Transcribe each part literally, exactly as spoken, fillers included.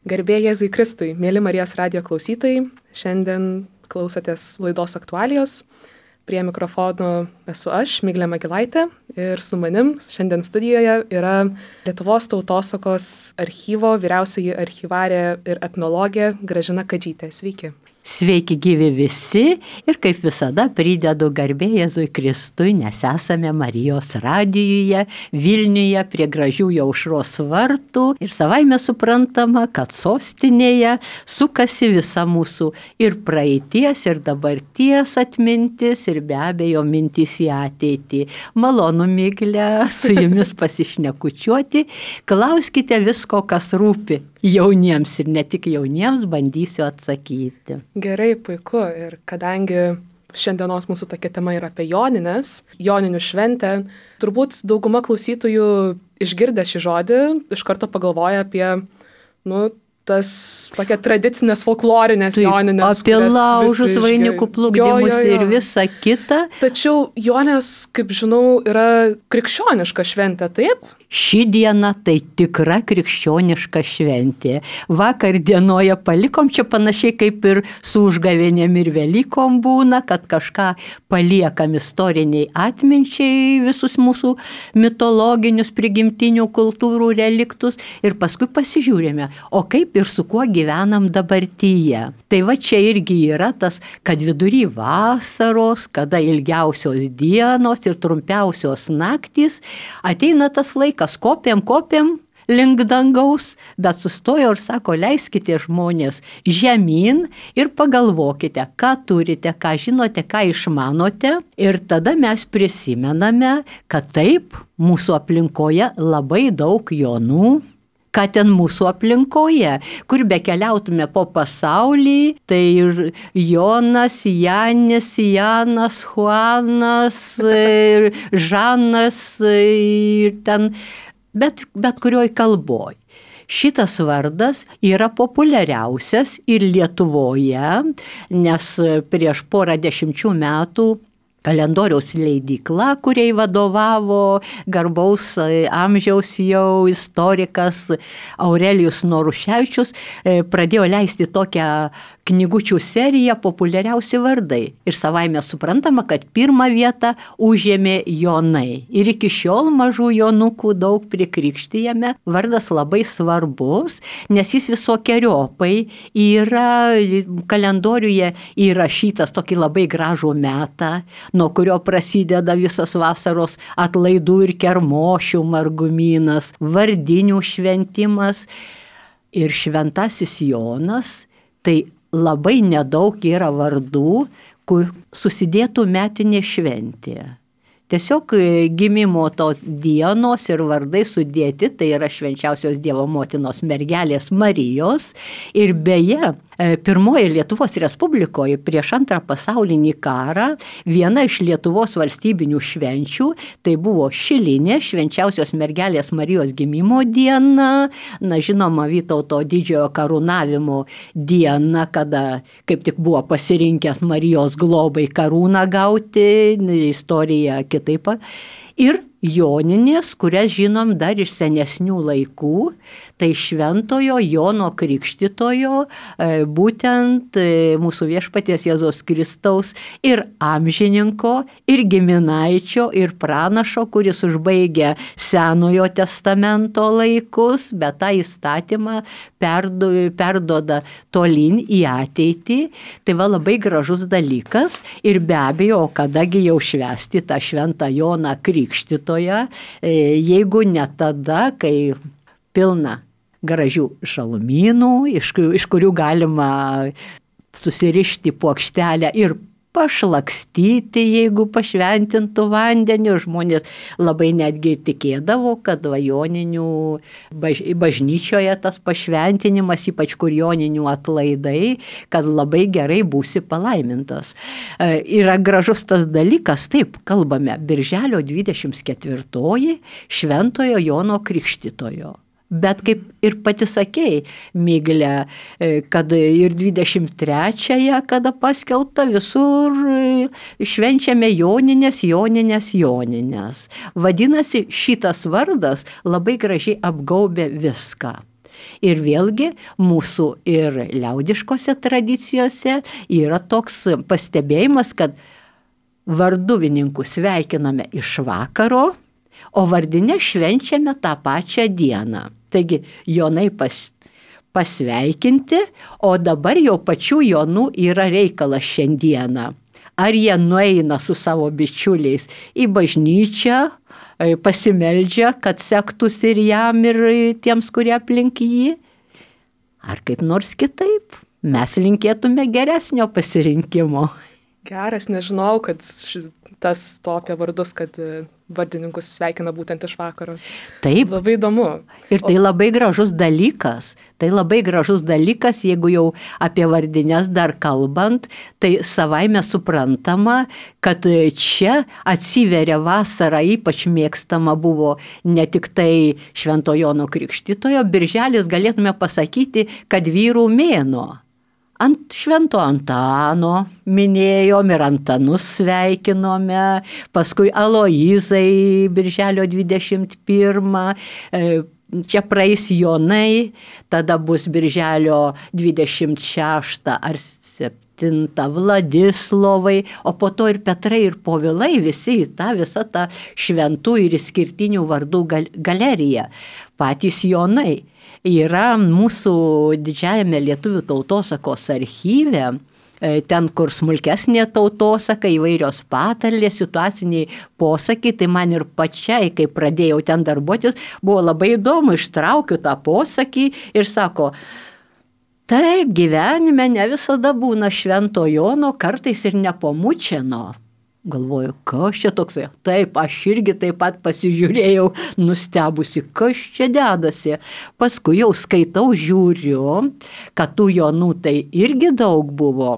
Garbė Jėzui Kristui, mėly Marijos radijo klausytojai, šiandien klausotės laidos aktualijos. Prie mikrofono esu aš, Miglė Magilaitė, ir su manim šiandien studijoje yra Lietuvos tautosakos archyvo vyriausioji archyvarė ir etnologė Gražina Kadžytė. Sveiki. Sveiki gyvi visi ir kaip visada pridedu garbė Jėzui Kristui, nes esame Marijos radijuje, Vilniuje prie gražiųjų Aušros vartų ir savaime suprantama, kad sostinėje sukasi visa mūsų ir praeities, ir dabarties atmintis, ir be abejo mintis į ateitį. Malonu, Miglė, su jumis pasišnekučiuoti, klauskite visko, kas rūpi jauniems ir ne tik jauniems, bandysiu atsakyti. Gerai, puiku. Ir kadangi šiandienos mūsų tokia tema yra apie jonines, joninių šventę, turbūt dauguma klausytojų išgirdę šį žodį iš karto pagalvoja apie, nu, tas tokia tradicinės folklorinės joninės. Apie laužus, vainikų plukdymus jo, jo, jo. Ir visa kita. Tačiau jonės, kaip žinau, yra krikščioniška šventė, taip? Ši diena tai tikra krikščioniška šventė. Vakar dienoje palikom, čia panašiai kaip ir su užgavėnėm ir Velykom būna, kad kažką paliekam istoriniai atminčiai, visus mūsų mitologinius prigimtinių kultūrų reliktus ir paskui pasižiūrime, o kaip ir su kuo gyvenam dabartyje. Tai va čia irgi yra tas, kad vidury vasaros, kada ilgiausios dienos ir trumpiausios naktys, ateina tas laikas, kopiam, kopiam link dangaus, bet sustojo ir sako, leiskite žmonės žemyn ir pagalvokite, ką turite, ką žinote, ką išmanote. Ir tada mes prisimename, kad taip, mūsų aplinkoje labai daug jonų, ką ten mūsų aplinkoje, kur be keliautume po pasaulį, tai Jonas, Janis, Janas, Juanas, Žanas ir ten, bet, bet kurioj kalboj. Šitas vardas yra populiariausias ir Lietuvoje, nes prieš porą dešimčių metų kalendoriaus leidykla, kuriai vadovavo garbaus amžiaus jau istorikas Aurelijus Noruševičius, pradėjo leisti tokią knygučių seriją populiariausi vardai. Ir savaime suprantama, kad pirmą vietą užėmė Jonai. Ir iki šiol mažų Jonukų daug prikrikštijame. Vardas labai svarbus, nes jis visokiojopai yra kalendoriuje įrašytas tokį labai gražų metą, nuo kurio prasideda visas vasaros atlaidų ir kermošių margumynas, vardinių šventimas. Ir šventasis Jonas, tai labai nedaug yra vardų, kur susidėtų metinė šventė. Tiesiog gimimo tos dienos ir vardai sudėti, tai yra švenčiausios Dievo motinos mergelės Marijos. Ir beje, pirmoje Lietuvos Respublikoje prieš antrą pasaulinį karą viena iš Lietuvos valstybinių švenčių, tai buvo šilinė švenčiausios mergelės Marijos gimimo diena, na žinoma Vytauto didžiojo karūnavimo diena, kada kaip tik buvo pasirinkęs Marijos globai karūną gauti, istorija kitaip. Ir joninės, kurias žinom dar iš senesnių laikų, tai šventojo Jono Krikštytojo, būtent mūsų viešpaties Jėzaus Kristaus ir amžininko, ir giminaičio, ir pranašo, kuris užbaigė Senojo testamento laikus, bet tą įstatymą perdu, perduoda tolyn į ateitį. Tai va labai gražus dalykas ir be abejo, kadagi jau švęsti tą šventą Joną Krikštytoją, jeigu ne tada, kai pilna gražių šalumynų, iš, iš kurių galima susirišti puokštelę ir pašlakstyti, jeigu pašventintų vandenį. Žmonės labai netgi tikėdavo, kad va joninių baž, bažnyčioje tas pašventinimas, ypač kur joninių atlaidai, kad labai gerai būsi palaimintas. E, yra gražus tas dalykas, taip, kalbame, birželio dvidešimt ketvirtoji šventojo Jono Krikštytojo. Bet kaip ir pati sakei, Miglė, kad ir dvidešimt trečiąją, kada paskelbta, visur švenčiame joninės, joninės, joninės. Vadinasi, šitas vardas labai gražiai apgaubė viską. Ir vėlgi mūsų ir liaudiškose tradicijose yra toks pastebėjimas, kad varduvininkus sveikiname iš vakaro, o vardinę švenčiame tą pačią dieną. Taigi Jonai pas, pasveikinti, o dabar jau pačių Jonų yra reikalas šiandieną. Ar jie nueina su savo bičiuliais į bažnyčią, pasimeldžia, kad sektųsi ir jam, ir tiems, kurie aplink jį, ar kaip nors kitaip. Mes linkėtume geresnio pasirinkimo. Geras, nežinau, kad tas to apie vardus, kad vardininkus sveikina būtent iš vakaro. Taip. Labai įdomu. Ir tai labai gražus dalykas. Tai labai gražus dalykas, jeigu jau apie vardines dar kalbant, tai savaime suprantama, kad čia atsiveria vasara, ypač mėgstama buvo ne tik tai Švento Jono Krikštytojo, birželis galėtume pasakyti, kad vyrų mėnuo. Ant Švento Antano minėjom ir Antanus sveikinome, paskui Aloizai birželio dvidešimt pirmą, čia praeis Jonai, tada bus birželio dvidešimt šeštą ar septintą Vladislovai, o po to ir Petrai ir Povilai, visi tą visą tą šventų ir išskirtinių vardų galeriją, patys Jonai. Yra mūsų didžiajame lietuvių tautosakos archyve, ten, kur smulkesnė tautosaka, įvairios patarlės, situaciniai posakiai, tai man ir pačiai, kai pradėjau ten darbuotis, buvo labai įdomu, ištraukiu tą posakį ir sako, taip, gyvenime ne visada būna Švento Jono, kartais ir nepomučiano. Galvoju, kas čia toksai? Taip, aš irgi taip pat pasižiūrėjau, nustebusi, kas čia dedasi. Paskui jau skaitau, žiūriu, kad tų Jonų tai irgi daug buvo.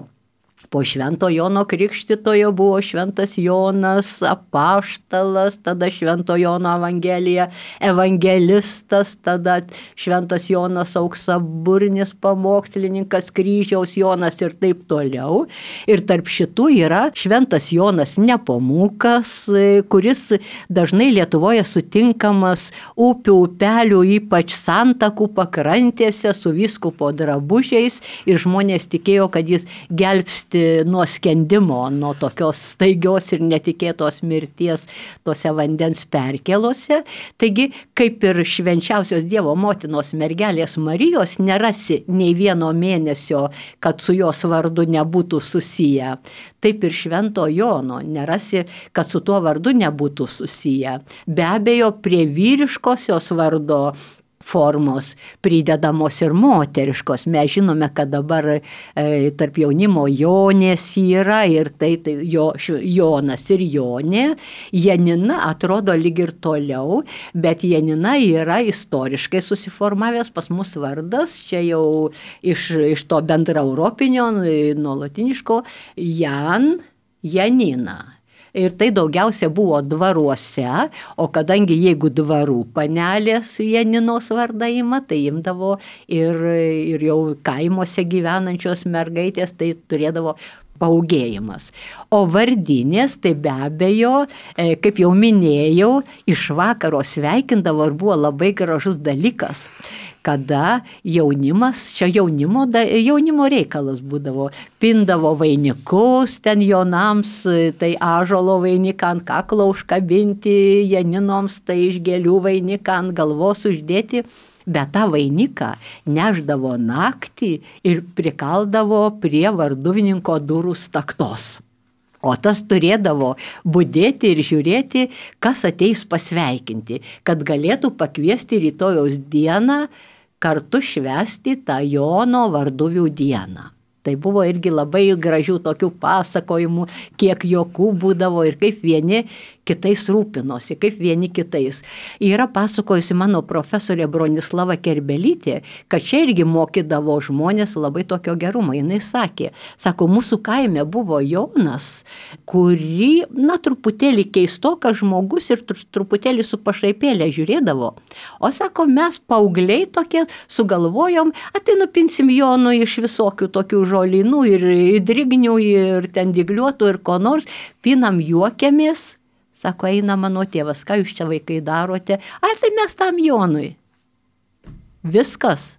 Po Švento Jono Krikštytojo buvo Šventas Jonas apaštalas, tada Švento Jono Evangelija, evangelistas, tada Šventas Jonas auksaburnis pamokslininkas, kryžiaus Jonas ir taip toliau. Ir tarp šitų yra Šventas Jonas Nepomukas, kuris dažnai Lietuvoje sutinkamas upių, upelių, ypač santakų pakrantėse su vyskupo drabužiais ir žmonės tikėjo, kad jis gelbsti nuo skendimo, nuo tokios staigios ir netikėtos mirties tose vandens perkelose. Taigi, kaip ir švenčiausios Dievo motinos mergelės Marijos, nerasi nei vieno mėnesio, kad su jos vardu nebūtų susiję. Taip ir Švento Jono nerasi, kad su tuo vardu nebūtų susiję. Be abejo, prie vyriškosios vardo formos pridedamos ir moteriškos. Mes žinome, kad dabar e, tarp jaunimo Jonės yra ir tai, tai jo, Jonas ir Jonė. Janina atrodo lyg ir toliau, bet Janina yra istoriškai susiformavęs pas mus vardas, čia jau iš, iš to bendraeuropinio, nuo latiniško Jan, Janina. Ir tai daugiausia buvo dvaruose, o kadangi jeigu dvarų panelės Janinos vardą ima, tai imdavo ir, ir jau kaimuose gyvenančios mergaitės, tai turėdavo paugėjimas. O vardinės, tai be abejo, kaip jau minėjau, iš vakaro sveikindavo ir buvo labai gražus dalykas, kada jaunimas, čia jaunimo, jaunimo reikalas būdavo, pindavo vainikus ten Jonams, tai ąžuolo vainiką ant kaklo užkabinti, Janinoms tai iš gėlių vainiką ant galvos uždėti, bet tą vainiką neždavo naktį ir prikaldavo prie varduvininko durų staktos. O tas turėdavo budėti ir žiūrėti, kas ateis pasveikinti, kad galėtų pakviesti rytojaus dieną kartu švęsti tą Jono varduvių dieną. Tai buvo irgi labai gražių tokių pasakojimų, kiek juokų būdavo ir kaip vieni kitais rūpinosi, kaip vieni kitais. Yra pasakojusi mano profesorė Bronislava Kerbelytė, kad čia irgi mokydavo žmonės labai tokio gerumo. Jis sakė, sako, mūsų kaime buvo Jonas, kurį, na, truputėlį keistokas žmogus ir truputėlį su pašaipėlė žiūrėdavo. O sako, mes paaugliai tokie sugalvojom, tai nupinsim Jonui iš visokių tokių žolynų ir drignių ir ten dygliuotų ir ko nors, pinam juokiamės. Sako, eina mano tėvas, ką jūs čia vaikai darote? Ar tai mes tam Jonui? Viskas.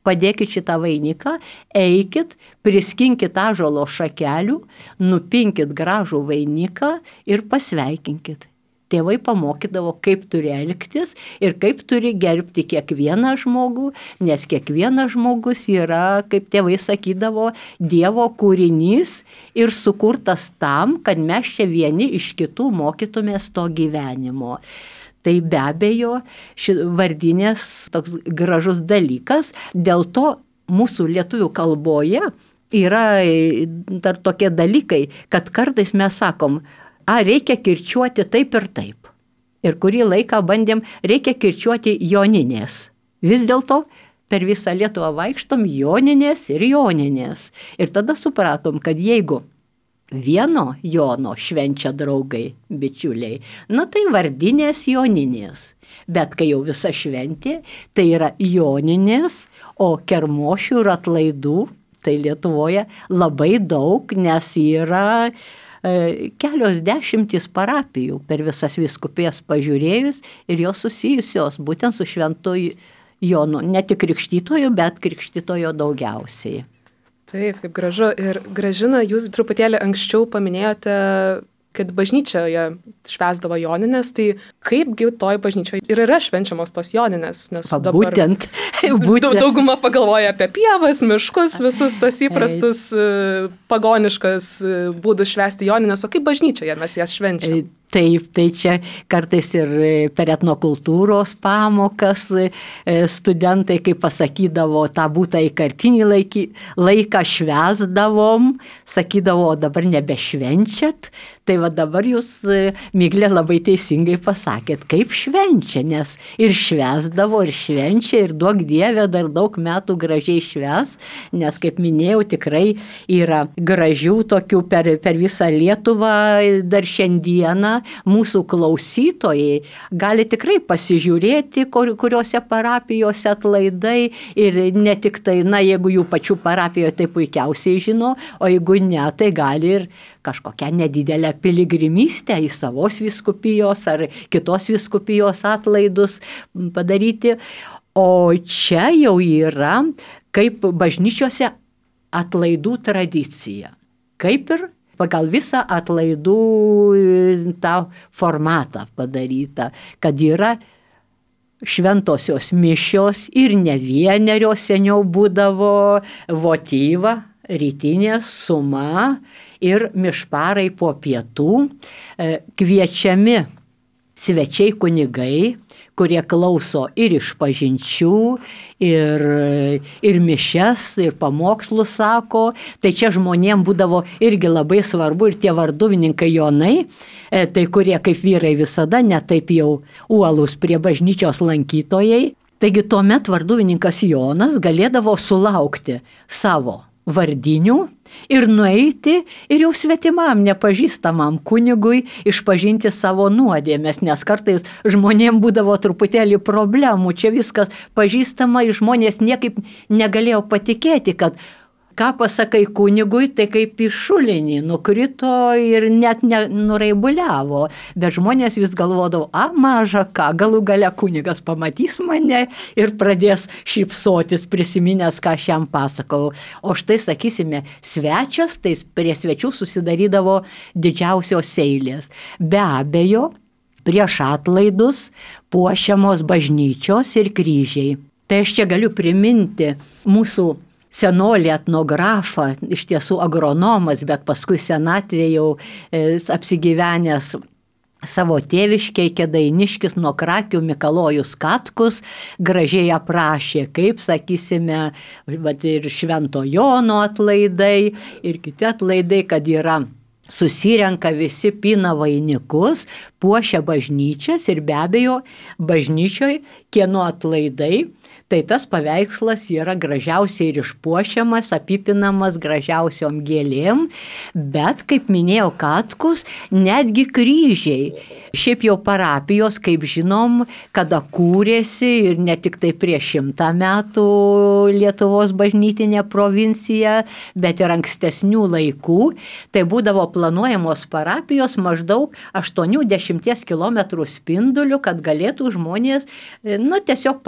Padėkit šitą vainiką, eikit, priskinkit ąžuolo šakelių, nupinkit gražų vainiką ir pasveikinkit. Tėvai pamokydavo, kaip turi elgtis ir kaip turi gerbti kiekvieną žmogų, nes kiekvienas žmogus yra, kaip tėvai sakydavo, Dievo kūrinys ir sukurtas tam, kad mes čia vieni iš kitų mokytumės to gyvenimo. Tai be abejo, ši vardinės toks gražus dalykas, dėl to mūsų lietuvių kalboje yra dar tokie dalykai, kad kartais mes sakom, a, reikia kirčiuoti taip ir taip. Ir kurį laiką bandėm, reikia kirčiuoti joninės. Vis dėlto per visą Lietuvą vaikštom joninės ir joninės. Ir tada supratom, kad jeigu vieno Jono švenčia draugai, bičiuliai, na tai vardinės joninės. Bet kai jau visa šventė, tai yra joninės, o kermošių ir atlaidų, tai Lietuvoje labai daug, nes yra kelios dešimtys parapijų per visas vyskupijas pažiūrėjus ir jos susijusios būtent su šventu Jonu, ne tik krikštytoju, bet krikštytojo daugiausiai. Taip, kaip gražu. Ir Gražina, jūs truputėlį anksčiau paminėjote, kad bažnyčioje švęsdavo joninės, tai kaipgi toj bažnyčioje ir yra švenčiamos tos joninės, nes Pa, dabar būtent, būtent. dauguma pagalvoja apie pievas, miškus, visus tas įprastus pagoniškas būdus švęsti joninės, o kaip bažnyčioje mes jas švenčiam? Taip, tai čia kartais ir per etnokultūros pamokas studentai, kai pasakydavo tą būtą įkartinį laikį, laiką švęsdavom, sakydavo, o dabar nebešvenčiat. Tai va dabar jūs, Miglė, labai teisingai pasakėt, kaip švenčia, nes ir švęsdavo, ir švenčia, ir duok Dieve dar daug metų gražiai švęs, nes, kaip minėjau, tikrai yra gražių tokių per, per visą Lietuvą dar šiandieną. Mūsų klausytojai gali tikrai pasižiūrėti, kur, kuriuose parapijose atlaidai ir ne tik tai, na, jeigu jų pačių parapijoje tai puikiausiai žino, o jeigu ne, tai gali ir kažkokią nedidelę piligrimystę į savos vyskupijos ar kitos vyskupijos atlaidus padaryti. O čia jau yra kaip bažnyčiose atlaidų tradicija. Kaip ir pagal visą atlaidų tą formatą padaryta, kad yra šventosios mišios ir ne vienerios, seniau būdavo votyva, rytinė suma ir mišparai po pietų, kviečiami svečiai kunigai, kurie klauso ir išpažinčių, ir, ir mišias, ir pamokslus sako. Tai čia žmonėm būdavo irgi labai svarbu ir tie varduvininkai Jonai, tai kurie kaip vyrai visada netaip jau uolūs prie bažnyčios lankytojai. Taigi tuomet varduvininkas Jonas galėdavo sulaukti savo vardinių ir nueiti ir jau svetimam, nepažįstamam kunigui išpažinti savo nuodėmes, nes kartais žmonėm būdavo truputėlį problemų, čia viskas pažįstama ir žmonės niekaip negalėjo patikėti, kad ką pasakai kunigui, tai kaip į šulinį nukrito ir net nuraibuliavo, bet žmonės vis galvodavo, a, maža ką, galų gale kunigas pamatys mane ir pradės šypsotis, prisiminęs, ką aš jam pasakau. O štai, sakysime, svečias, tai prie svečių susidarydavo didžiausios eilės. Be abejo, prieš atlaidus puošiamos bažnyčios ir kryžiai. Tai aš čia galiu priminti mūsų senolį etnografą, iš tiesų agronomas, bet paskui senatvėje jau e, apsigyvenęs savo tėviškiai Kėdainiškis nuo Krakių Mikalojus Katkus gražiai aprašė, kaip, sakysime, vat, ir Švento Jono atlaidai, ir kiti atlaidai, kad yra susirenka visi, pina vainikus, puošia bažnyčias ir be abejo bažnyčioj kieno atlaidai, tai tas paveikslas yra gražiausiai ir išpuošiamas, apipinamas gražiausiom gėlėm, bet, kaip minėjo Katkus, netgi kryžiai. Šiaip jau parapijos, kaip žinom, kada kūrėsi ir ne tik tai prieš šimtą metų Lietuvos bažnytinė provincija, bet ir ankstesnių laikų, tai būdavo planuojamos parapijos maždaug aštuoniasdešimt kilometrų spinduliu, kad galėtų žmonės, na, tiesiog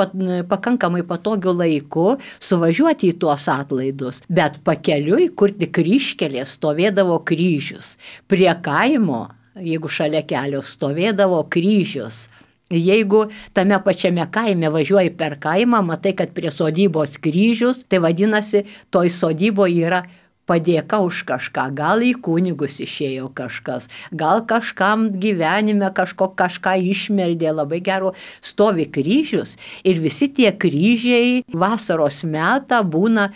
pakankamai pakankamai patogiu laiku suvažiuoti į tuos atlaidus, bet pakeliui, kur tik kryžkelės, stovėdavo kryžius. Prie kaimo, jeigu šalia kelio, stovėdavo kryžius. Jeigu tame pačiame kaime važiuoji per kaimą, matai, kad prie sodybos kryžius, tai vadinasi, toj sodyboje yra padėka už kažką. Gal į kunigus išėjo kažkas, gal kažkam gyvenime kažko kažką išmeldė, labai gero, stovi kryžius ir visi tie kryžiai vasaros metą būna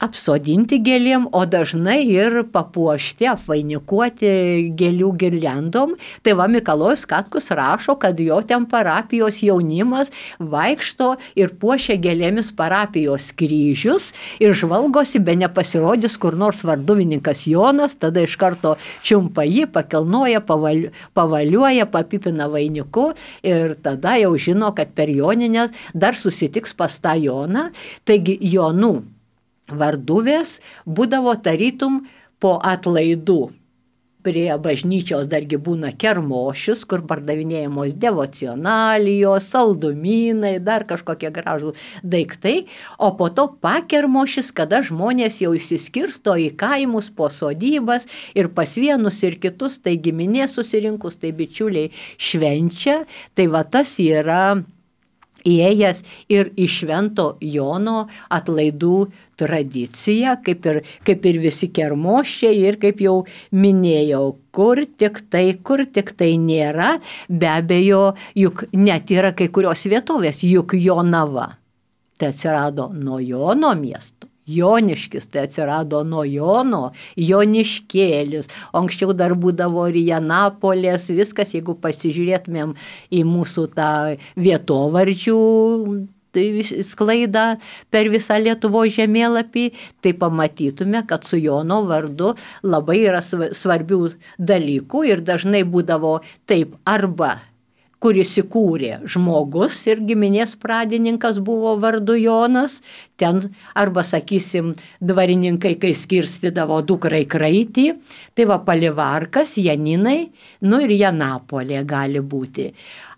apsodinti gėlėm, o dažnai ir papuošti, apvainikuoti gėlių girliandom. Tai va, Mikalojus Katkus rašo, kad jo ten parapijos jaunimas vaikšto ir puošia gėlėmis parapijos kryžius ir žvalgosi, be nepasirodys kur nors varduvininkas Jonas, tada iš karto čiumpa jį, pakelnoja, pavaliu, pavaliuoja, papipina vainiku ir tada jau žino, kad per Joninės dar susitiks pas tą Joną. Taigi Jonų varduvės būdavo tarytum po atlaidų. Prie bažnyčios dargi būna kermošius, kur pardavinėjamos devocionalijos, saldumynai, dar kažkokie gražų daiktai, o po to pakermošis, kada žmonės jau įsiskirsto į kaimus po sodybas ir pas vienus ir kitus, tai giminės susirinkus, tai bičiuliai švenčia, tai va tas yra įėjęs ir į Švento Jono atlaidų tradiciją, kaip ir, kaip ir visi kermošiai ir kaip jau minėjau, kur tik tai, kur tik tai nėra, be abejo, juk net yra kai kurios vietovės, juk Jonava, tai atsirado nuo Jono miesto. Joniškis, tai atsirado nuo Jono, Joniškėlis, o anksčiau dar būdavo ir Janapolės, viskas, jeigu pasižiūrėtumėm į mūsų tą vietovardžių tai sklaidą per visą Lietuvos žemėlapį, tai pamatytume, kad su Jono vardu labai yra svarbių dalykų ir dažnai būdavo taip arba kuris įkūrė žmogus ir giminės pradininkas buvo vardu Jonas, ten arba, sakysim, dvarininkai, kai skirstydavo dukrai kraitį, tai va Palivarkas, Janinai, nu ir Janapolė gali būti.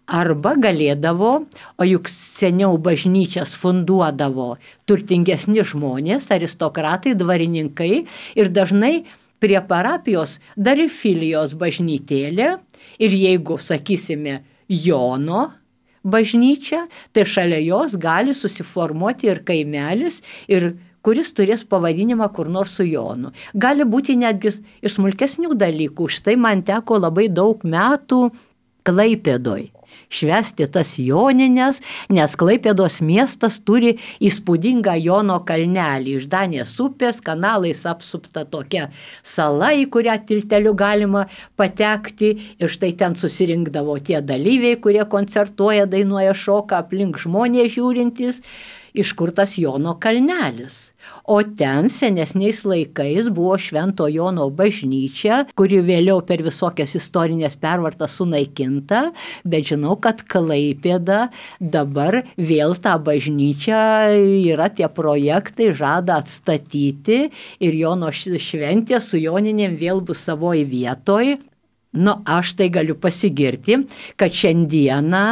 Arba galėdavo, o juk seniau bažnyčias funduodavo turtingesni žmonės, aristokratai, dvarininkai ir dažnai prie parapijos dar ir filijos bažnytėlė ir jeigu, sakysime, Jono bažnyčia, tai šalia jos gali susiformuoti ir kaimelis, ir kuris turės pavadinimą kur nors su Jonu. Gali būti netgi iš smulkesnių dalykų, štai man teko labai daug metų Klaipėdoj švęsti tas Jonines, nes Klaipėdos miestas turi įspūdingą Jono kalnelį. Iš Danės upės kanalais apsupta tokia sala, į kurią tilteliu galima patekti. Ir štai ten susirinkdavo tie dalyviai, kurie koncertuoja, dainuoja, šoka, aplink žmonės žiūrintys, iš kur tas Jono kalnelis. O ten senesniais laikais buvo Švento Jono bažnyčia, kuri vėliau per visokias istorinės pervartas sunaikinta, bet žinau, kad Klaipėda dabar vėl tą bažnyčią yra tie projektai, žada atstatyti ir Jono šventė su Joninėm vėl bus savoj vietoj. Nu, aš tai galiu pasigirti, kad šiandieną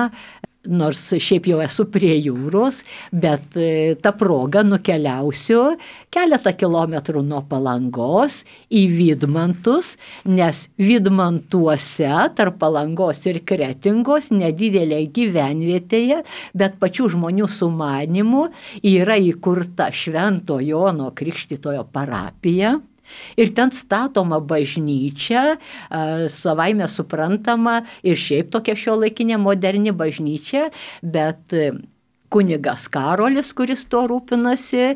nors šiaip jau esu prie jūros, bet tą progą nukeliausiu keletą kilometrų nuo Palangos į Vydmantus, nes Vydmantuose tarp Palangos ir Kretingos nedidelėje gyvenvietėje, bet pačių žmonių sumanymu yra įkurta Švento Jono Krikštytojo parapija. Ir ten statoma bažnyčia, savaime suprantama ir šiaip tokia šiuolaikinė moderni bažnyčia, bet kunigas Karolis, kuris tuo rūpinasi,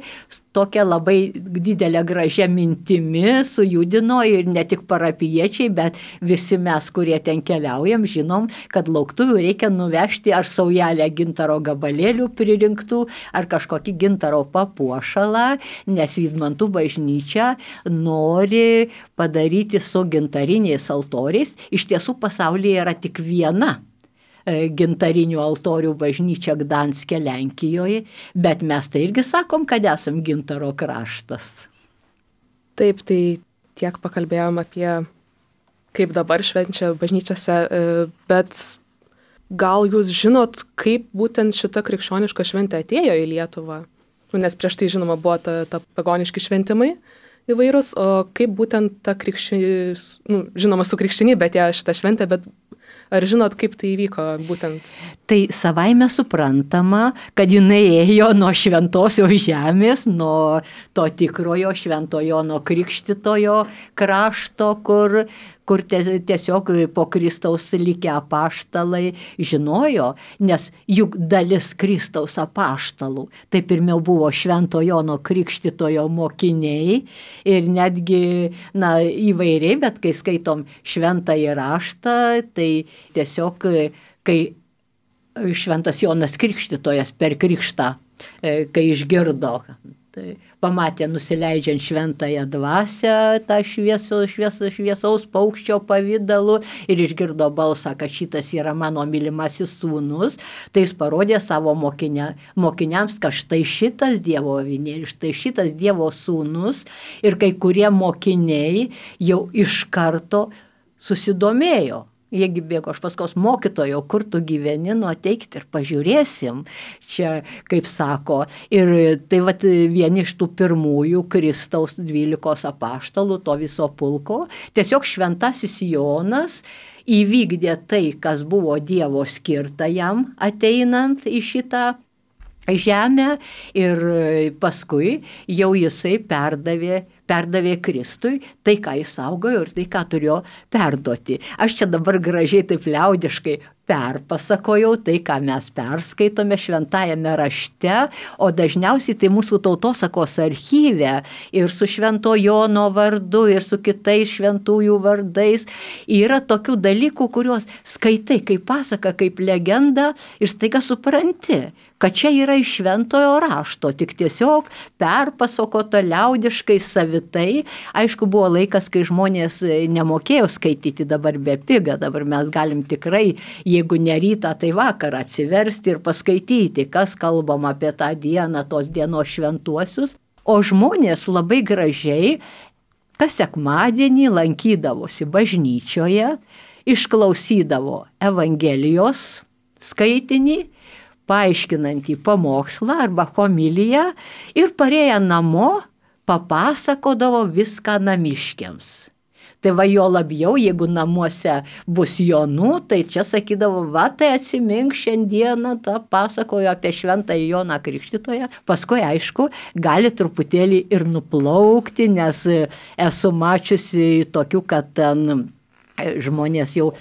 tokia labai didelė gražia mintimi sujudino ir ne tik parapiečiai, bet visi mes, kurie ten keliaujam, žinom, kad lauktuvių reikia nuvežti ar saujelę gintaro gabalėlių pririnktų, ar kažkokį gintaro papuošalą, nes Vydmantų bažnyčia nori padaryti su gintariniais altoriais. Iš tiesų pasaulyje yra tik viena gintarinių altorių bažnyčia Gdanske, Lenkijoje, bet mes tai irgi sakom, kad esam gintaro kraštas. Taip, tai tiek pakalbėjom apie kaip dabar švenčia bažnyčiose, bet gal jūs žinot, kaip būtent šita krikščioniška šventė atėjo į Lietuvą? Nu, nes prieš tai, žinoma, buvo ta, ta pagoniški šventimai įvairūs, o kaip būtent ta krikščionė, nu, žinoma, su krikščionybė atėjo šitą šventę, bet ar žinot, kaip tai įvyko būtent? Tai savaime suprantama, kad jinai ėjo nuo šventosios žemės, nuo to tikrojo šventojo, nuo krikštitojo krašto, kur, kur tiesiog po Kristaus likę apaštalai žinojo, nes juk dalis Kristaus apaštalų, tai pirmiau buvo šventojo nuo krikštitojo mokiniai ir netgi, na, įvairiai, bet kai skaitom šventąjį raštą, tai tiesiog, kai šventas Jonas Krikštytojas per krikštą, kai išgirdo, tai pamatė nusileidžiant šventąją dvasią, tą švieso, švieso, šviesaus paukščio pavidalu ir išgirdo balsą, kad šitas yra mano mylimasis sūnus, tai jis parodė savo mokinia, mokiniams, kad štai šitas Dievo avinėlis, štai šitas Dievo sūnus, ir kai kurie mokiniai jau iš karto susidomėjo. Jiegi bėgo, aš paskos mokytojo, kur tu gyveni, nu ateikit ir pažiūrėsim, čia kaip sako. Ir tai vat vieni iš tų pirmųjų Kristaus dvylikos apaštalų, to viso pulko, tiesiog šventasis Jonas įvykdė tai, kas buvo Dievo skirta jam ateinant į šitą žemę, ir paskui jau jisai perdavė perdavė Kristui tai, ką jis saugojo ir tai, ką turėjo perduoti. Aš čia dabar gražiai taip liaudiškai perpasakojau tai, ką mes perskaitome šventajame rašte, o dažniausiai tai mūsų tautosakos archyve ir su Švento Jono vardu ir su kitais šventųjų vardais yra tokių dalykų, kuriuos skaitai kaip pasaka, kaip legenda ir staiga supranti, kad čia yra iš šventojo rašto, tik tiesiog perpasakota liaudiškai savitai. Aišku, buvo laikas, kai žmonės nemokėjo skaityti, dabar be piga, dabar mes galim tikrai, jeigu ne rytą, tai vakarą atsiversti ir paskaityti, kas kalbam apie tą dieną, tos dienos šventuosius. O žmonės labai gražiai, kas sekmadienį lankydavosi bažnyčioje, išklausydavo Evangelijos skaitinį, paaiškinantį pamokslą arba homiliją ir parėję namo papasakodavo viską namiškiams. Tai va jo labiau, jeigu namuose bus jonų, tai čia sakydavo, va tai atsimink šiandieną, tą pasakojo apie šventąjį Joną Krikštytoją. Paskui, aišku, gali truputėlį ir nuplaukti, nes esu mačiusi tokių, kad ten žmonės jau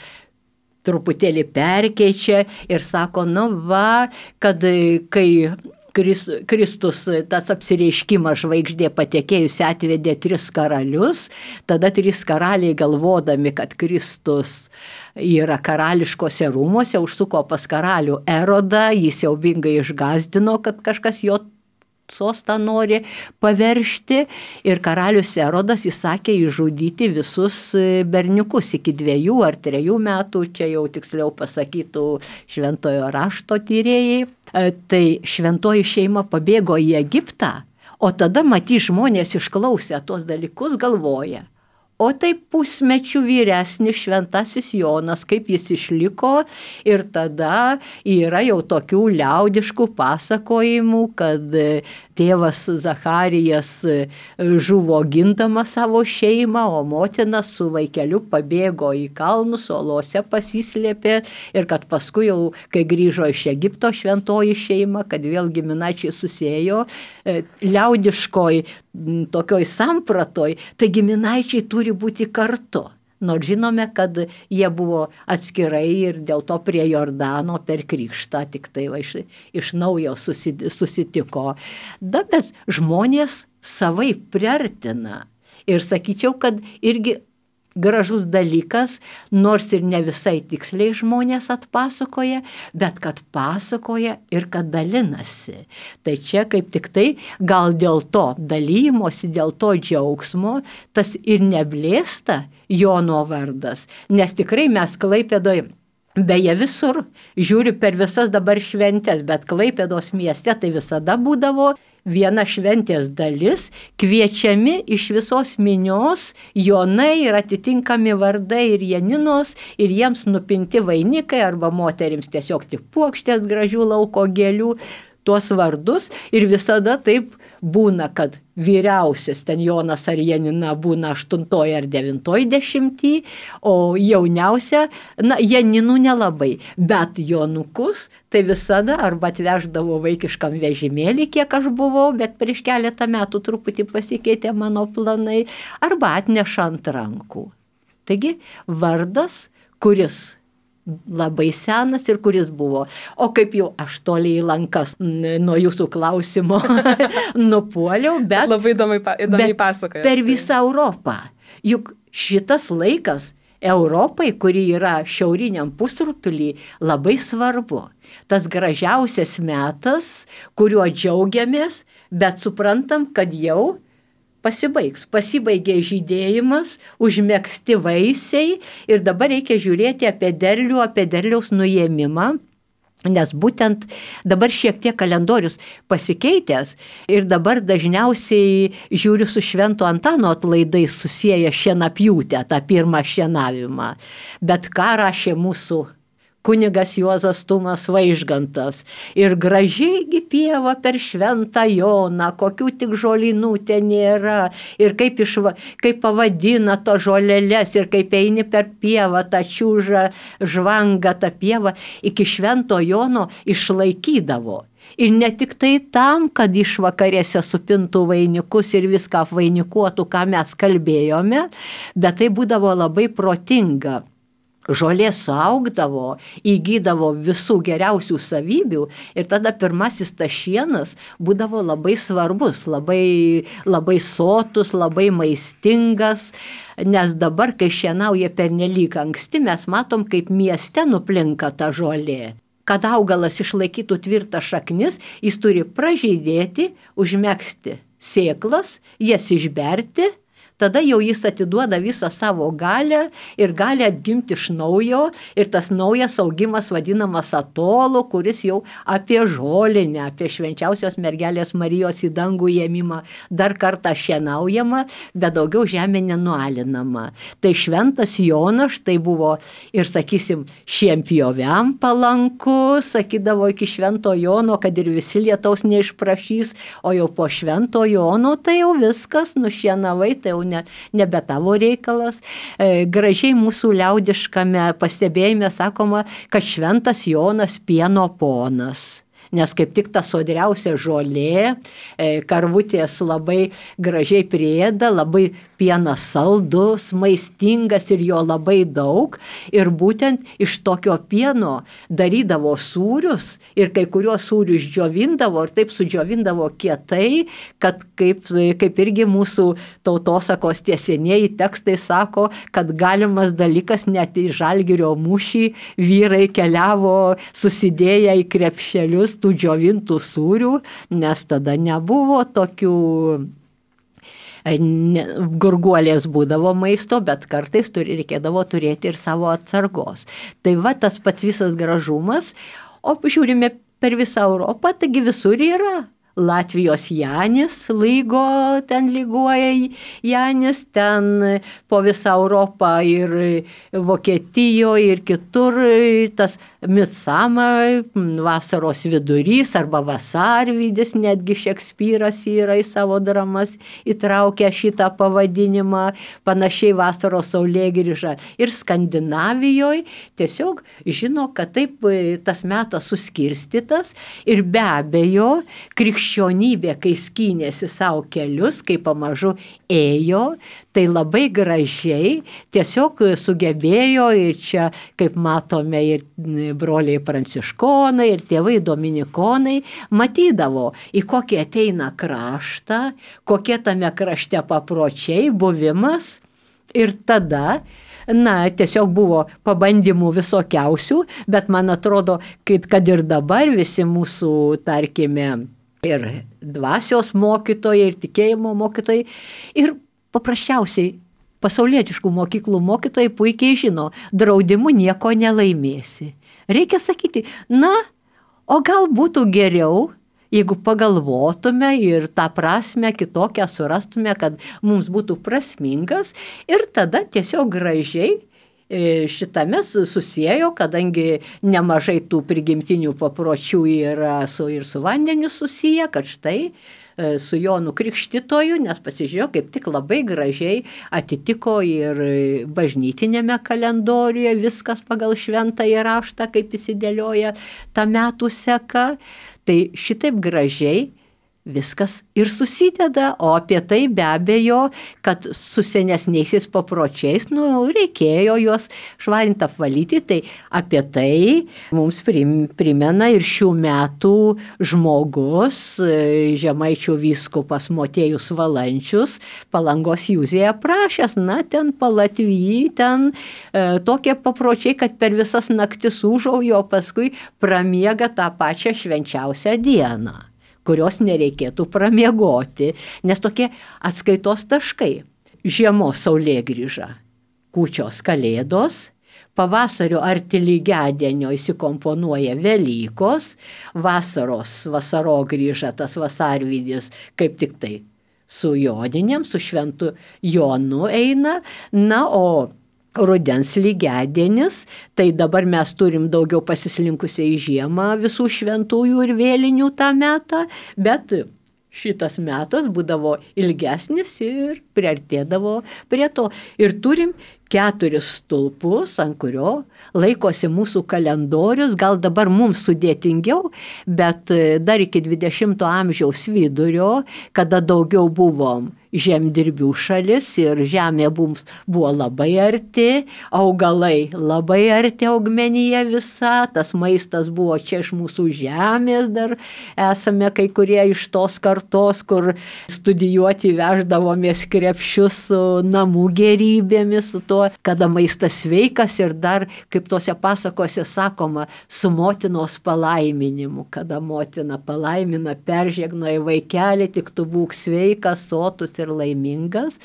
truputėlį perkeičia ir sako, nu va, kad kai Kristus, tas apsireiškimas žvaigždė patekėjusi atvedė tris karalius, tada trys karaliai galvodami, kad Kristus yra karališkose rūmose, užsuko pas karalių Erodą, jis siaubingai išgazdino, kad kažkas jo sostą nori paveršti, ir karalius Erodas įsakė išžudyti visus berniukus iki dviejų ar trejų metų, čia jau tiksliau pasakytų šventojo rašto tyrėjai. Tai šventoji šeima pabėgo į Egiptą, o tada matys žmonės išklausę tos dalykus galvoja. O tai pusmečių vyresnis šventasis Jonas, kaip jis išliko, ir tada yra jau tokių liaudiškų pasakojimų, kad tėvas Zacharijas žuvo gindamas savo šeimą, o motina su vaikeliu pabėgo į kalnus, olose pasislėpė, ir kad paskui jau, kai grįžo iš Egipto šventoji šeima, kad vėl giminaičiai susėjo, liaudiškoj tokioj sampratoj, tai giminaičiai turi būti kartu. Nors žinome, kad jie buvo atskirai ir dėl to prie Jordano per krikštą tik tai va, iš, iš naujo susitiko. Da, bet žmonės savai priartina. Ir sakyčiau, kad irgi gražus dalykas, nors ir ne visai tiksliai žmonės atpasakoja, bet kad pasakoja ir kad dalinasi. Tai čia kaip tik tai gal dėl to dalymosi, dėl to džiaugsmo, tas ir neblėsta Jono vardas, nes tikrai mes Klaipėdoje, beje visur, žiūriu per visas dabar šventes, bet Klaipėdos mieste tai visada būdavo viena šventės dalis, kviečiami iš visos minios Jonai ir atitinkami vardai ir Janinos, ir jiems nupinti vainikai arba moterims tiesiog tik puokštės gražių lauko gėlių, tuos vardus ir visada taip būna, kad vyriausias ten Jonas ar Janina būna aštuntoj ar devintoj dešimty, o jauniausia, na, Janinų nelabai, bet Jonukus tai visada arba atveždavo vaikiškam vežimėlį, kiek aš buvau, bet prieš keletą metų truputį pasikeitė mano planai, arba atneša ant rankų. Taigi vardas, kuris labai senas ir kuris buvo. O kaip jau aš toliai į lankas nuo jūsų klausimo nupuoliau, bet, labai įdomiai, įdomiai pasakoja. Per visą Europą. Juk šitas laikas Europai, kuri yra šiauriniam pusrutulį, labai svarbu. Tas gražiausias metas, kuriuo džiaugiamės, bet suprantam, kad jau pasibaigs. Pasibaigė žydėjimas, užmegzti vaisiai ir dabar reikia žiūrėti apie derlių, apie derliaus nuėmimą, nes būtent dabar šiek tiek kalendorius pasikeitęs ir dabar dažniausiai žiūriu su Švento Antano atlaidais susieja šienapjūtę, tą pirmą šienavimą. Bet ką rašė mūsų kunigas Juozas Tumas Vaižgantas. Ir gražiai pieva per Šventą Joną, kokių tik žolynų ten nėra. Ir kaip, išva, kaip pavadina to žolelės, ir kaip eini per pievą, tą čiūžą, žvangą tą pievą, iki Švento Jono išlaikydavo. Ir ne tik tai tam, kad išvakarėse supintų vainikus ir viską apvainikuotų, ką mes kalbėjome, bet tai būdavo labai protinga. Žolė suaugdavo, įgydavo visų geriausių savybių ir tada pirmasis tas šienas būdavo labai svarbus, labai, labai sotus, labai maistingas, nes dabar, kai šienauja pernelyg anksti, mes matom, kaip mieste nuplinka ta žolė. Kad augalas išlaikytų tvirtą šaknis, jis turi pražydėti, užmegzti sėklas, jas išberti, tada jau jis atiduoda visą savo galią ir gali atgimti iš naujo ir tas naujas augimas vadinamas atolu, kuris jau apie žolinę, apie švenčiausios mergelės Marijos į dangų ėmimą dar kartą šienaujama, bet daugiau žemė nenualinama. Tai Šventas Jonas štai buvo ir, sakysim, šienpjoviam palanku, sakydavo iki Švento Jono, kad ir visi lietaus neišprašys, o jau po Švento Jono tai jau viskas, nušienavai, tai jau Ne, nebe tavo reikalas. E, gražiai mūsų liaudiškame pastebėjime sakoma, kad Šventas Jonas pieno ponas. Nes kaip tik ta sodriausia žolė, e, karvutės labai gražiai priėda, labai pienas saldus, maistingas ir jo labai daug. Ir būtent iš tokio pieno darydavo sūrius ir kai kuriuos sūrius džiovindavo ir taip sudžiovindavo kietai, kad kaip, kaip irgi mūsų tautosakos tie senieji tekstai sako, kad galimas dalykas net į Žalgirio mūšį vyrai keliavo susidėję į krepšelius tų džiovintų sūrių, nes tada nebuvo tokių ne, gurguolės būdavo maisto, bet kartais turi, reikėdavo turėti ir savo atsargos. Tai va tas pats visas gražumas, o žiūrime per visą Europą, taigi visur yra. Latvijos Janis lygo, ten lyguoja Janis, ten po visą Europą ir Vokietijoje ir kitur tas Midsummer, vasaros vidurys arba vasarvidis, netgi Šekspyras yra į savo dramas įtraukę šitą pavadinimą, panašiai vasaros saulėgrįža. Ir Skandinavijoje tiesiog žino, kad taip tas metas suskirstytas ir be abejo krikščionybė Krikščionybė, kai skynėsi savo kelius, kai pamažu ėjo, tai labai gražiai tiesiog sugebėjo ir čia, kaip matome, ir broliai pranciškonai, ir tėvai dominikonai matydavo, į kokį ateina kraštą, kokie tame krašte papročiai, buvimas ir tada na, tiesiog buvo pabandymų visokiausių, bet man atrodo, kad, kad ir dabar visi mūsų, tarkime, ir dvasios mokytojai, ir tikėjimo mokytojai, ir paprasčiausiai pasaulietiškų mokyklų mokytojai puikiai žino, draudimu nieko nelaimėsi. Reikia sakyti, na, o gal būtų geriau, jeigu pagalvotume ir tą prasme kitokią surastume, kad mums būtų prasmingas ir tada tiesiog gražiai šitame susiejo, kadangi nemažai tų prigimtinių papročių yra su, ir su vandeniu susiję, kad štai su Jonu Krikštytoju, nes pasižiūrėjau, kaip tik labai gražiai atitiko ir bažnytinėme kalendoriuje viskas pagal šventąjį raštą, kaip įsidėlioja tą metų seka. Tai šitaip gražiai viskas ir susideda, o apie tai be abejo, kad su senesniaisiais papročiais, nu, reikėjo juos švarinti, apvalyti, tai apie tai mums primena ir šių metų žmogus, Žemaičių vyskupas Motiejus Valančius, Palangos Jūzėje aprašęs, na, ten Palatvyj, ten e, tokie papročiai, kad per visas naktis užaujo, paskui pramiega tą pačią švenčiausią dieną, kurios nereikėtų pramiegoti, nes tokie atskaitos taškai. Žiemos saulėgrįža, kūčios kalėdos, pavasario arti lygiadienio įsikomponuoja Velykos, vasaros vasarogrįža, tas vasarvidis, kaip tik tai su Joninėm, su šventu Jonu eina, na, o rudens lygiadienis, tai dabar mes turim daugiau pasislinkusią į žiemą visų šventųjų ir vėlinių tą metą, bet šitas metas būdavo ilgesnis ir priartėdavo prie to. Ir turim keturis stulpus, ant kurio laikosi mūsų kalendorius, gal dabar mums sudėtingiau, bet dar iki dvidešimto amžiaus vidurio, kada daugiau buvom žemdirbių šalis ir žemė mums buvo labai arti, augalai labai arti, augmenija visa, tas maistas buvo čia iš mūsų žemės, dar esame kai kurie iš tos kartos, kur studijuoti veždavomės krepšius su namų gerybėmis, su to, kada maistas sveikas ir dar, kaip tose pasakose sakoma, su motinos palaiminimu, kada motina palaimina, peržegnoja vaikelį, tik tu būk sveikas, sotus ir laimingas.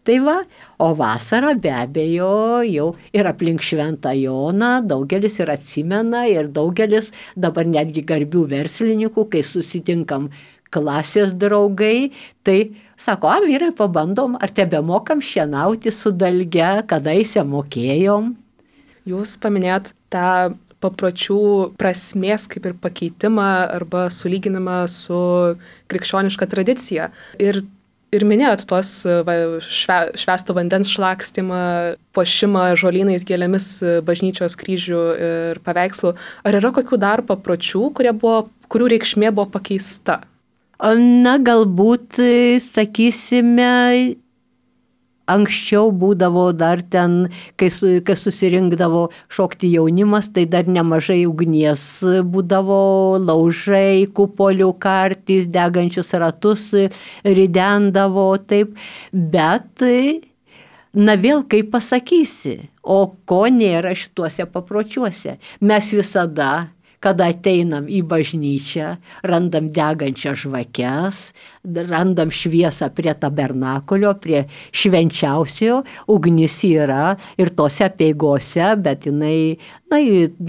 Tai va, o vasarą be abejo jau ir aplink Šventą Joną daugelis ir atsimena ir daugelis dabar netgi garbių verslininkų, kai susitinkam klasės draugai, tai sako, a, vyrai, pabandom, ar tebemokam šienauti su dalge, kadaise mokėjom. Jūs paminėjot tą papročių prasmės kaip ir pakeitimą arba sulyginimą su krikščioniška tradicija. Ir Ir minėjot tos va, šve, švesto vandens šlakstymą, puošimą žolynais, gėlėmis, bažnyčios kryžių ir paveikslų. Ar yra kokių dar papročių, kurie buvo, kurių reikšmė buvo pakeista? Na, galbūt, sakysime, anksčiau būdavo dar ten, kai, kai susirinkdavo šokti jaunimas, tai dar nemažai ugnies būdavo, laužai, kupolių kartys, degančius ratus ridendavo, taip, bet, na vėl kaip pasakysi, o ko nėra šituose papročiuose. Mes visada, kada ateinam į bažnyčią, randam degančias žvakes, randam šviesą prie tabernakulio, prie švenčiausiojo, ugnis yra ir tose apeigose, bet jinai, na,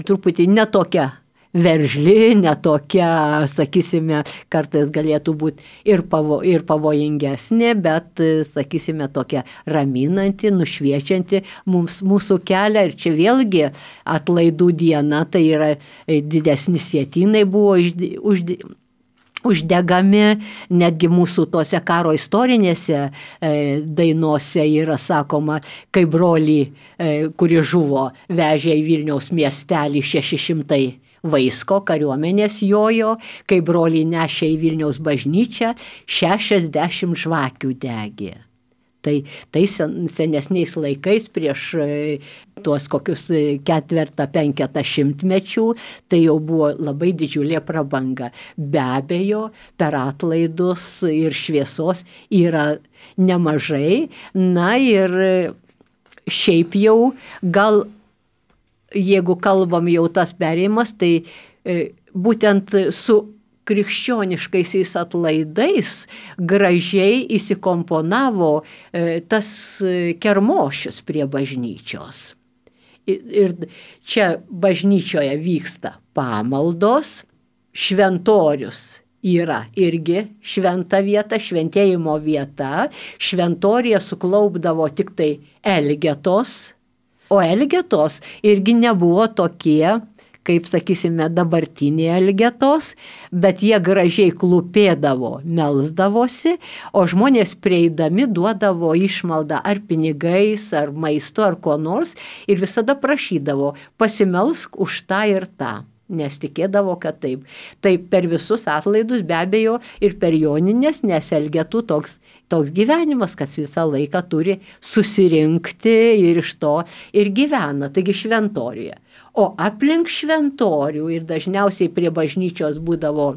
truputį netokia veržli, netokia, sakysime, kartais galėtų būti ir, pavo, ir pavojingesnė, bet, sakysime, tokia raminanti, nušviečianti mums, mūsų kelią. Ir čia vėlgi atlaidų diena, tai yra didesni sietynai buvo užde, užde, uždegami, netgi mūsų tose karo istorinėse e, dainose yra sakoma, kai brolį, e, kuri žuvo, vežė į Vilniaus miestelį šeši šimtai vaisko kariuomenės jojo, kai broliai nešė į Vilniaus bažnyčią, šešiasdešimt žvakių degė. Tai, tai sen, senesniais laikais prieš tuos kokius ketvertą, penketą šimtmečių, tai jau buvo labai didžiulė prabanga. Be abejo, per atlaidus ir šviesos yra nemažai, na ir šiaip jau gal jeigu kalbam jau tas perėjimas, tai e, būtent su krikščioniškaisiais atlaidais gražiai įsikomponavo e, tas kermošius prie bažnyčios. Ir, ir čia bažnyčioje vyksta pamaldos, šventorius yra irgi šventa vieta, šventėjimo vieta. Šventoriuje suklaupdavo tik tai elgetos, o elgetos irgi nebuvo tokie, kaip sakysime, dabartiniai elgetos, bet jie gražiai klūpėdavo, melsdavosi, o žmonės prieidami duodavo išmaldą ar pinigais, ar maistu, ar ko nors ir visada prašydavo, pasimelsk už tą ir tą. Nes tikėdavo, kad taip. Taip per visus atlaidus be abejo ir per joninės, nes elgetų toks, toks gyvenimas, kad visą laiką turi susirinkti ir iš to ir gyvena, taigi šventoriuje. O aplink šventorių ir dažniausiai prie bažnyčios būdavo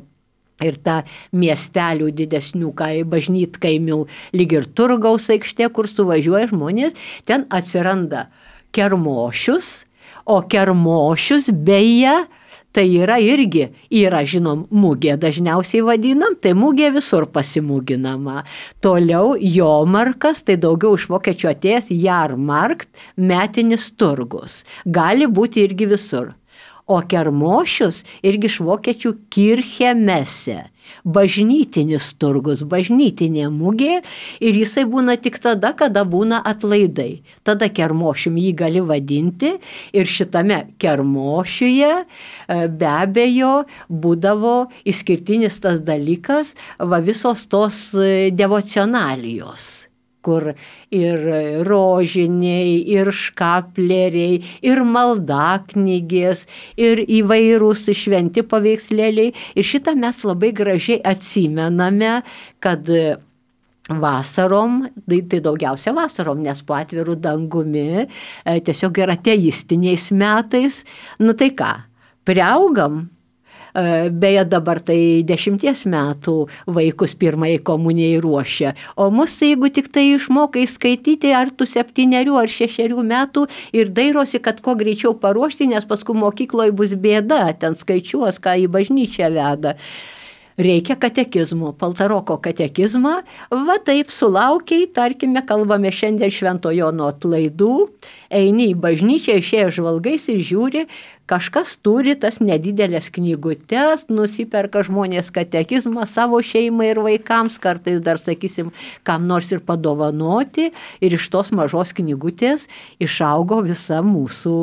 ir ta miestelių didesnių bažnytkaimių, lyg ir turgaus aikštė, kur suvažiuoja žmonės, ten atsiranda kermošius, o kermošius beje, tai yra irgi, yra žinom, mugė dažniausiai vadinam, tai mugė visur pasimūginama. Toliau jomarkas, tai daugiau iš vokiečių atėjęs jarmarkt, metinis turgus. Gali būti irgi visur. O kermošius irgi iš vokiečių kirche messe. Bažnytinis turgus, bažnytinė mugė ir jisai būna tik tada, kada būna atlaidai. Tada kermošium jį gali vadinti ir šitame kermošiuje be abejo būdavo išskirtinis tas dalykas, va visos tos devocionalijos, kur ir rožiniai, ir škapleriai, ir maldaknygės, ir įvairūs šventi paveikslėliai. Ir šitą mes labai gražiai atsimename, kad vasarom, tai, tai daugiausia vasarom, nes po atvirų dangumi, tiesiog ir ateistiniais metais, nu tai ką, priaugam. Beje, dabar tai dešimties metų vaikus pirmai komunijai ruošia, o mus tai jeigu tik tai išmokai skaityti ar tu septynerių ar šešerių metų ir dairosi, kad kuo greičiau paruošti, nes paskui mokykloje bus bėda, ten skaičiuos, ką į bažnyčią veda. Reikia katekizmo, Paltaroko katekizmą, va taip sulaukiai, tarkime, kalbame šiandien Švento Jono atlaidų, eini į bažnyčią, išėjęs žvalgais ir žiūri, kažkas turi tas nedidelės knygutes, nusiperka žmonės katekizmą savo šeimai ir vaikams, kartais dar, sakysim, kam nors ir padovanoti, ir iš tos mažos knygutės išaugo visa mūsų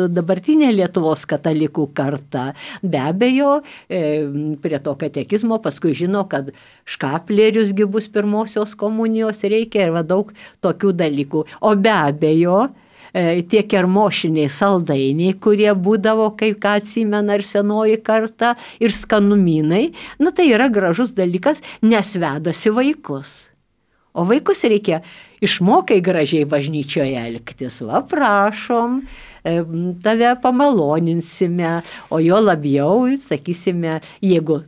dabartinė Lietuvos katalikų karta. Be abejo, prie to katekizmo paskui žino, kad škapleriusgi bus pirmosios komunijos reikia ir va daug tokių dalykų. O be abejo, tie kermošiniai saldainiai, kurie būdavo, kaip ką atsimena ir senoji karta, ir skanumynai, nu tai yra gražus dalykas, nes vedasi vaikus. O vaikus reikia išmokai gražiai bažnyčioje elgtis. Va, prašom, tave pamaloninsime, o jo labiau, sakysime, jeigu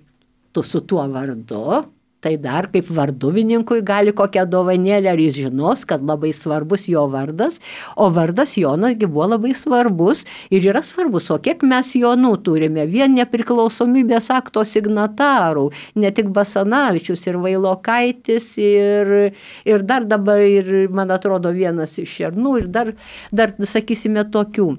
tu su tuo vardu, tai dar kaip varduvininkui gali kokią dovanėlę, ar jis žinos, kad labai svarbus jo vardas, o vardas Jonasgi buvo labai svarbus ir yra svarbus, o kiek mes Jonų turime, vien nepriklausomybės akto signatarų, ne tik Basanavičius ir Vailokaitis ir, ir dar dabar, ir, man atrodo, vienas iš Šernų ir dar, dar sakysime, tokių.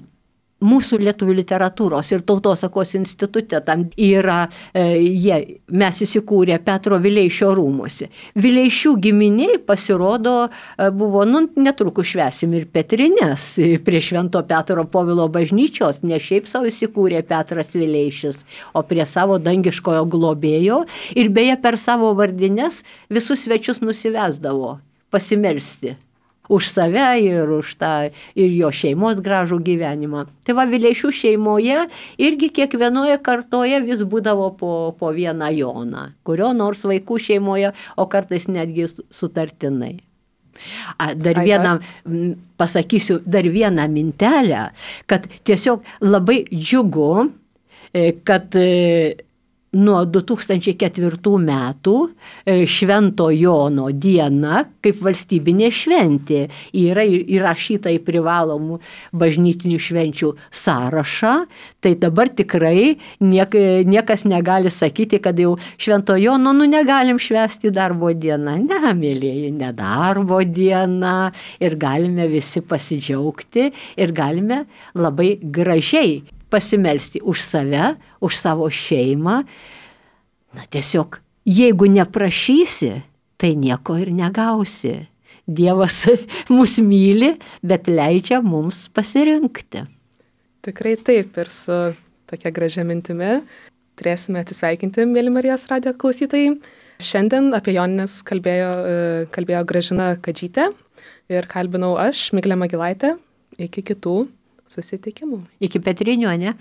Mūsų lietuvių literatūros ir tautosakos institute tam yra, e, jie, mes įsikūrė Petro Vileišio rūmuose. Vileišių giminiai pasirodo e, buvo, nu, netrukus švęsim ir Petrines prie Švento Petro Povilo bažnyčios, ne šiaip savo įsikūrė Petras Vileišis, o prie savo dangiškojo globėjo ir beje per savo vardines visus svečius nusivesdavo pasimelsti. Už save ir už tą ir jo šeimos gražų gyvenimą. Tai va, Vileišių šeimoje irgi kiekvienoje kartoje vis būdavo po, po vieną Joną, kurio nors vaikų šeimoje, o kartais netgi sutartinai. A, dar vieną, pasakysiu, dar vieną mintelę, kad tiesiog labai džiugu, kad nuo du tūkstančiai ketvirtų metų Švento Jono diena kaip valstybinė šventė yra įrašyta į privalomų bažnytinių švenčių sąrašą, tai dabar tikrai niek, niekas negali sakyti, kad jau Švento Jono nu negalim švęsti darbo dieną. Ne, mėlieji, ne darbo diena ir galime visi pasidžiaugti ir galime labai gražiai pasimelsti už save, už savo šeimą. Na tiesiog, jeigu neprašysi, tai nieko ir negausi. Dievas mus myli, bet leidžia mums pasirinkti. Tikrai taip, ir su tokia gražia mintimi turėsime atsisveikinti, mėly Marijos radijo klausytojai. Šiandien apie jonines kalbėjo, kalbėjo Gražina Kadžytė ir kalbinau aš, Miglė Magilaitė. Iki kitų susitikimų. Iki Petrinių, ne?